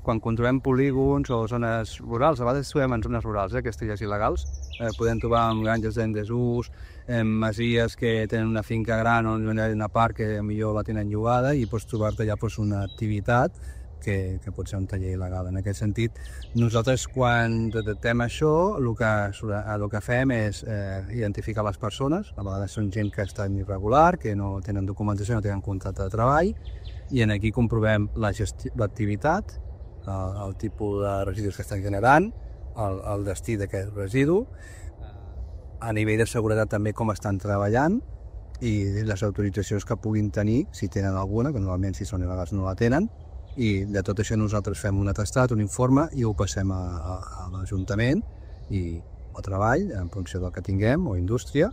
quan controlem polígons o zones rurals, a vegades trobem en zones rurals, aquestes illes il·legals, podem trobar en granges en desús, en masies que tenen una finca gran on hi ha una part que millor la tenen llogada i pots trobar-te allà una activitat que pot ser un taller il·legal. En aquest sentit, nosaltres quan detectem això, el que fem és identificar les persones, a vegades són gent que està irregular, que no tenen documentació, no tenen contracte de treball, i aquí comprovem l'activitat, el tipus de residus que estan generant, el destí d'aquest residu, a nivell de seguretat també com estan treballant i les autoritzacions que puguin tenir, si tenen alguna, que normalment si són il·legals no la tenen, i de tot això nosaltres fem un atestat, un informe i ho passem a l'Ajuntament o treball en funció del que tinguem o indústria